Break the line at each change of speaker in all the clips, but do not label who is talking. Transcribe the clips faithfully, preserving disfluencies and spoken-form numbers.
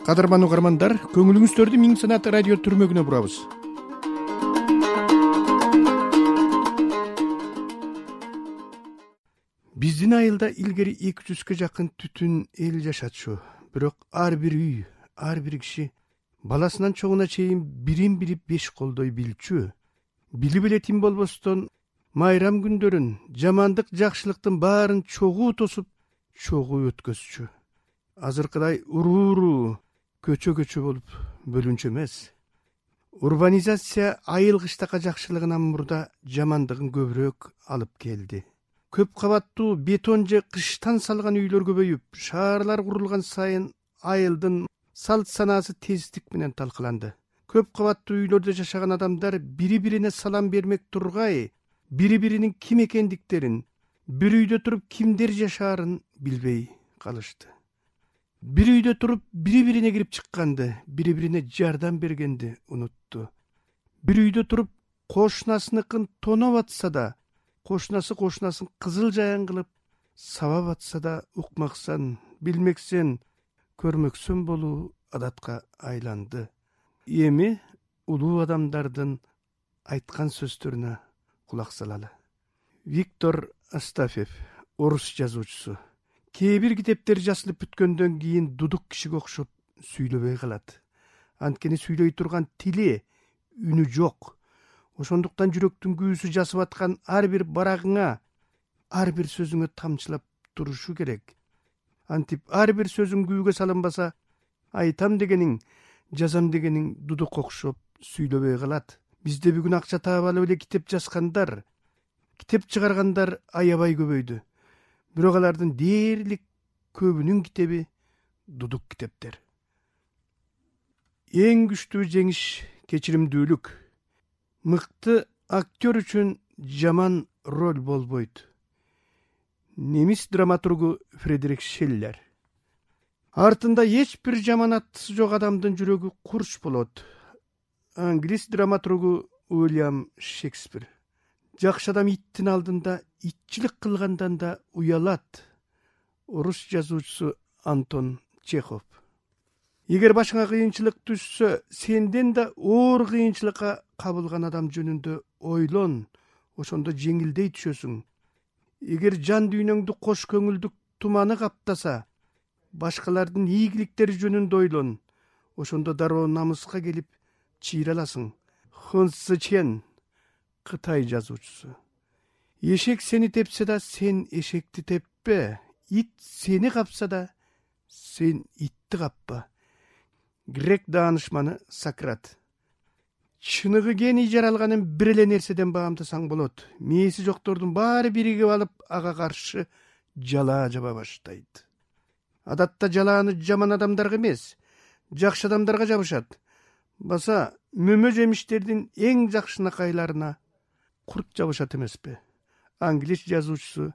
Кадырман угармандар, көңүлүңүздөрдү Миң Санат радио түрмөгүнө бурабыз. Биздин айылда илгери эки жүзгө жакын түтүн эл жашатчу. Бирок ар бир үй, ар бир киши баласынан чоңуна чейин бирин бири беш колдой билчү. Билип эле тим болбостон майрам күндөрүн, жамандык жакшылыктын баарын чогуу тосуп, чогуу өткөзчү. Азыркыдай уруу-уруу, көчө-көчө болуп бөлүнчү эмес. Урбанизация айыл кыштакка жакшылыгынан мурда жамандыгын көбүрөөк алып келди. Көп кабаттуу бетон же кыштан салган үйлөр көбөйүп, шаарлар курулган сайын айылдын салт санаасы тездик менен талкаланды. Көп кабаттуу үйлөрдө жашаган адамдар бири-бирине салам бермек тургай, бири-биринин ким экендиктерин, бир үйдө туруп кимдер жашаарын билбей калышты. Бир үйдө туруп бири-бирине кирип чыкканды, бири-бирине жардам бергенди унутту. Бир үйдө туруп кошунасыныкын тоноп атса да, кошунасы кошунасын кызыл жаян кылып сабап атса да, укмаксан, билмексен, көрмөксөн болуу адатка айланды. Эми улуу адамдардын айткан сөздөрүнө кулак салалы. Виктор Астафьев, орус жазуучусу. Кээ бир китептер жазылып бүткөндөн кийин дудук кишиге окшоп сүйлөбөй калат. Анткени сүйлөй турган тили, үнү жок. Ошондуктан жүрөктүн күүсү жасып аткан ар бир барагыңа, ар бир сөзүңө тамчылап турушу керек. Антип ар бир сөзүң күүгө салынбаса, айтам дегениң, жазам дегениң дудук окшоп сүйлөбөй калат. Бизде бүгүн акча таап алып эле китеп жазгандар, китеп чыгаргандар аябай көбөйдү. Бирок алардын дээрлик көбүнүн китеби дудук китептер. Эң күчтүү жеңиш кечиримдүүлүк. Мыкты актер үчүн жаман роль болбойт. Немис драматургу Фридрих Шиллер. Артында эч бир жаман аттысы жок адамдын жүрөгү курч болот. Англис драматургу Уильям Шекспир. Жакшы адам иттин алдында итчилик кылгандан да уялат. Орус жазуучусу Антон Чехов. Эгер башыңа кыйынчылык түшсө, сенден да оор кыйынчылыкка кабылган адам жөнүндө ойлон, ошондо жеңилдей түшөсүң. Эгер жан дүйнөңдү кош көңүлдүк туманы каптаса, башкалардын ийгиликтери жөнүндө ойлон, ошондо дароо намыска келип чыйраласың. Хун Сычен, Кытай жазуучусу. Эшек сени тепсе да, сен эшекти теппе. Ит сени капса да, сен итти каппа. Грек даанышманы Сократ. Чыныгы гений жаралганын бир эле нерседен баамдасаң болот. Мээси жоктордун баары биригип алып, ага каршы жалаа жаба баштайт. Адатта жалааны жаман адамдарга эмес, жакшы адамдарга жабышат. Баса мөмө жемиштердин эң жакшынакайларына курт жабышат эмеспи? Англис жазуучусу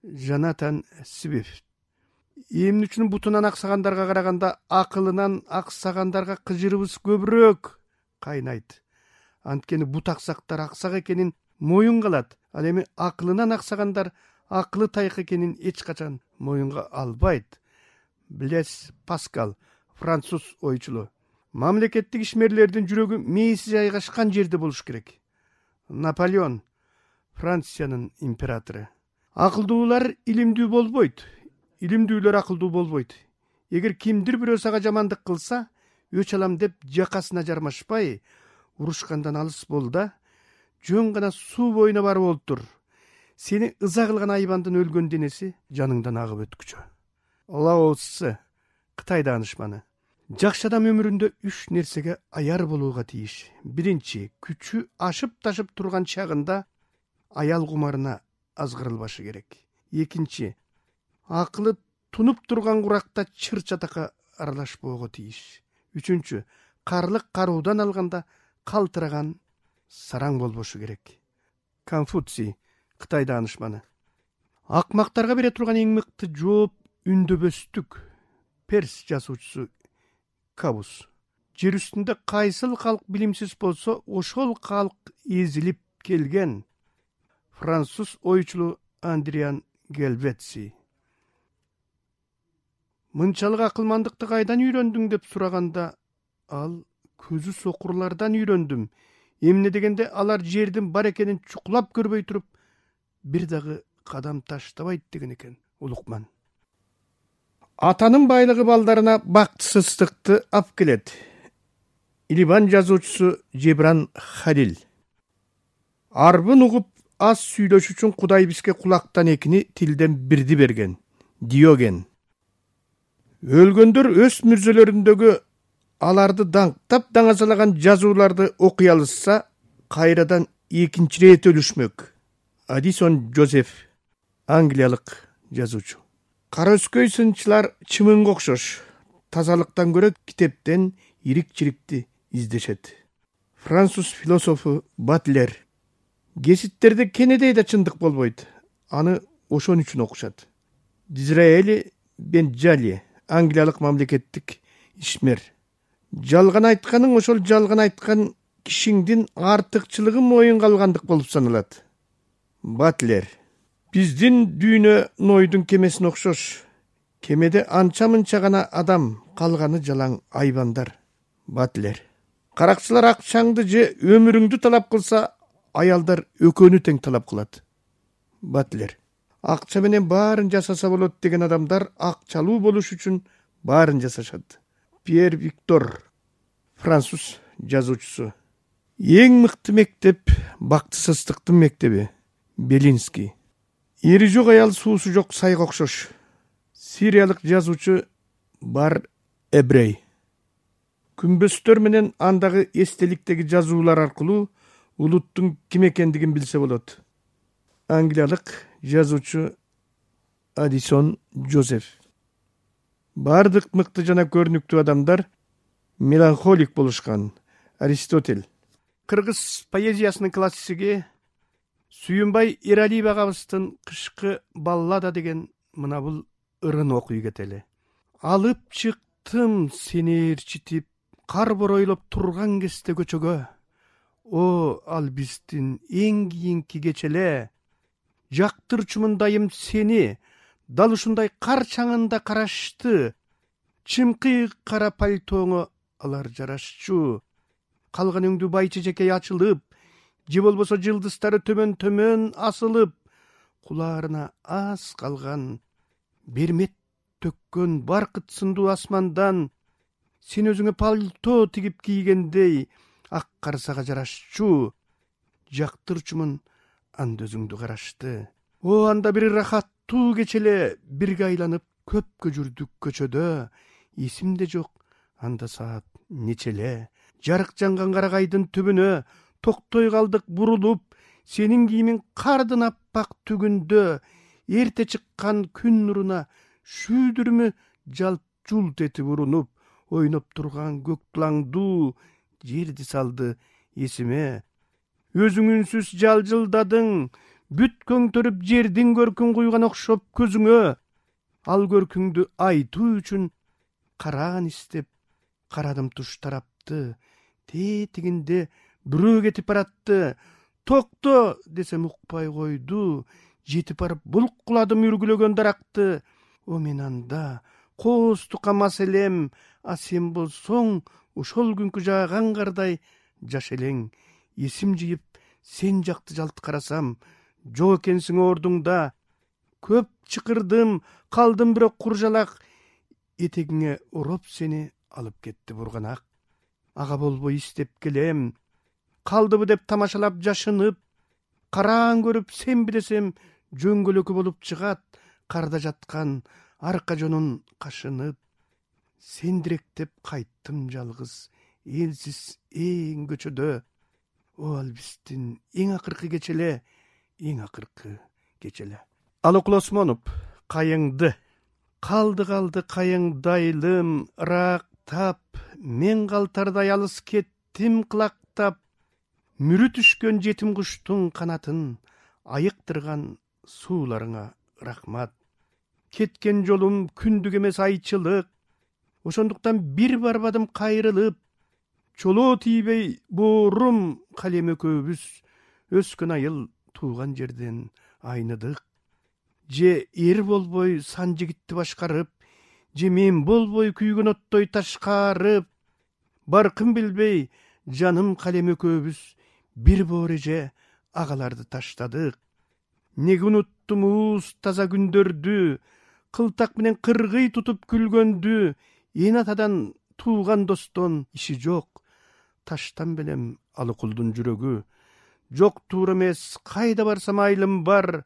Джонатан Свифт. Эмнүчүн бутунан аксагандарга караганда акылынан аксагандарга кыжырыбыз көбүрөөк кайнайт. Анткени бут аксактар аксак экенин моюнга алат. Ал эми акылынан аксагандар акылы тайкы экенин эч качан моюнга албайт. Блес Паскал, француз ойчулу. Мамлекеттик ишмерлердин жүрөгү мээси жайгашкан жерде болуш керек. Наполеон, Франциянын императору. Акылдуулар илимдүү болбойт, илимдүүлөр акылдуу болбойт. Эгер кимдир бирөө сага жамандык кылса, өч алам деп жакасына жармашпай, урушкандан алыс бол да, жөн гана суу боюна барып олтур. Сени ыза кылган айбандын өлгөн денеси жаныңдан агып өткүчө. Лао Цзы, Кытай даанышманы. Жакшы адам өмүрүндө үч нерсеге аяр болууга тийиш. Биринчи, күчү ашып ташып турган чагында аял кумарына азгырылбашы керек. Экинчи, акылы тунуп турган куракта чыр чатакка аралашпоого тийиш. Үчүнчү, карлык каруудан алганда калтыраган сараң болбошу керек. Конфуций, Кытай даанышманы. Акмактарга бере турган эң мыкты жооп үндөбөстүк. Перс жазуучусу Кабус. Жер үстүндө кайсыл калк билимсиз болсо, ошол калк эзилип келген. Француз ойчулу Андриан Гельвеци. Мынчалык акылмандыкты кайдан үйрөндүң деп сураганда ал көзү сокурлардан үйрөндүм. Эмне дегенде алар жердин бар экенин чукулап көрбөй туруп бир дагы кадам таштабайт деген экен Улукман. Атанын байлыгы балдарына бактысыздыкты алып келет. Ливан жазуучусу Жебран Халил. Арбын угуп аз сүйлөш үчүн Кудай бизге кулактан экини, тилден бирди берген. Диоген. Өлгөндөр өз мүрзөлөрүндөгү аларды даңктап даңазалаган жазууларды окуй алышса, кайрадан экинчи рет өлүшмөк. Адисон Жозеф, англиялык жазуучу. Кара өскөй сынчылар чымынга окшош. Тазалыктан көрө китептен ирик-чирикти издешет. Француз философу Батлер. Геситтерде кенедей да чындык болбойт. Аны ошон үчүн окушат. Дизраэли Бенджали, англиялык мамлекеттик ишмер. Жалган айтканың ошол жалган айткан кишиңдин артыкчылыгы моюнга алгандык болуп саналат. Батлер. Биздин дүйнө Нойдун кемесине окшош. Кемеде анча-мынча гана адам, калганы жалаң айбандар. Батлер. Каракчылар акчаңды же өмүрүңдү талап кылса, аялдар өкөнү тең талап кылат. Батлер. Акча менен баарын жасаса болот деген адамдар акчалуу болуш үчүн баарын жасашат. Пьер Виктор, француз жазуучусу. Эң мыкты мектеп бактысыздыктын мектеби. Белинский. Эри жок аял суусу жок сайга окшош. Сириялык жазуучу Бар Эбрей. Күмбөздөр менен андагы эстеликтеги жазуулар аркылуу улуттун ким экендигин билсе болот. Англиялык жазуучу Адисон Жозеф. Бардык мыкты жана көрүнүктүү адамдар меланхолик болушкан. Аристотель. Кыргыз поэзиясынын классиги Сүйүнбай Эралиев агабыздын Кышкы баллада деген мына бул ырын окуй кетели. Алып чыктым сени ээрчитип, кар боройлоп турган кезде көчөгө. О, ал биздин эң кийинки кечеле. Жактырчумундайым сени, дал ушундай кар чаңында карашты. Чымкый кара пальтоңо алар жарашчу. Калганыңды байчы жекей ачылып, же болбосо жылдыздары төмөн-төмөн асылып, кулаарына аз калган бермет төккөн баркыт сындуу асмандан сен өзүңө пальто тигип кийгендей ак карсага жарашчу. Жактырчумун анда өзүңдү карашты. О, анда бир рахаттуу кечеле бирге айланып көпкө жүрдүк көчөдө. Эсимде жок анда саат нечеле. Жарык жанган карагайдын түбүнө токтой калдык бурулуп, сенин кийимиң кардын аппак түгүндө. Эрте чыккан күн нуруна шүүдүрмү жалп жулт этип урунуп, ойноп турган көк тулаңдуу жерди салды эсиме. Өзүң үнсүз жалжылдадың, бүт көңтөрүп жердин көркүн куйган окшоп көзүңө. Ал көркүңдү айтуу үчүн караан истеп, карадым туш тарапты. Тетигинде бирөө кетип баратты. Токто десем укпай койду. Жетип барып булкуладым үргүлөгөн даракты. О, мен анда коостукка мас элем, а сен болсоң ошол күнкү жааган кардай жаш элең. Эсим жыйып сен жакты жалт карасам, жок экенсиң ордуңда. Көп чыкырдым, калдым бирок куржалак. Этегиңе ороп сени алып кетти бурганак. Ага болбой истеп келем. Калдыбы деп тамашалап жашынып, караан көрүп сен билесем жөңгөлөкү болуп чыгат. Карда жаткан арка жонун кашынып. Сендиректеп кайттым жалгыз, элсиз эң көчөдө. О, ал биздин эң акыркы кечеле, эң акыркы кечеле. Алык Осмонов, кайыңды. Калды калды кайыңдайлым, ырактап, мен калтардай алыс кеттим кылактап. Мүрү түшкөн жетим куштун канатын айыктырган сууларыңа рахмат. Кеткен жолум күндүк эмес айчылык. Ошондуктан бир барбадым кайрылып. Чолоо тийбей боорум калем экөөбүз өскөн айыл тууган жерден айныдык. Же эр болбой сан жигитти башкарып, же мен болбой күйгөн оттой ташкарып, баркын билбей жаным калем экөөбүз бир боореже агаларды таштадык. Неге унуттум уус таза күндөрдү, кылтак менен кыргый тутуп күлгөндү, эн атадан тууган достон иши жок. Таштан белем алыкулдун жүрөгү, жок туура эмес, кайда барсам айылым бар.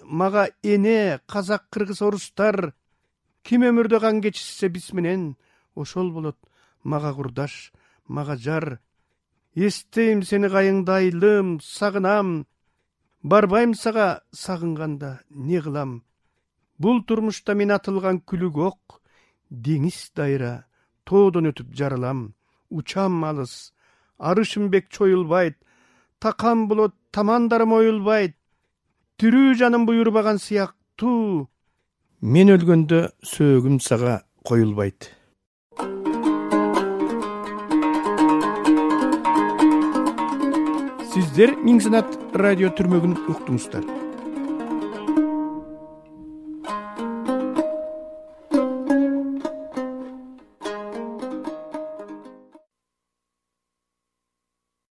Мага эне, казак, кыргыз, орустар, ким өмүрдө кан кечирсе биз менен, ошол болот мага курдаш, мага жар. Эстейм сени кайыңда айылым, сагынам, барбайм сага сагынганда не кылам. Бул турмушта мен атылган күлүк ок, деңиз дайра, тоодон өтүп жаралам. Учам алыс, арышым бек чоюлбайт, такам болот, тамандарым оюлбайт. Тирүү жаным буйрбаган сыяктуу, мен өлгөндө сөөгүм сага коюлбайт. Сиздер Миң Санат радио түрмөгүн уктуңуздар.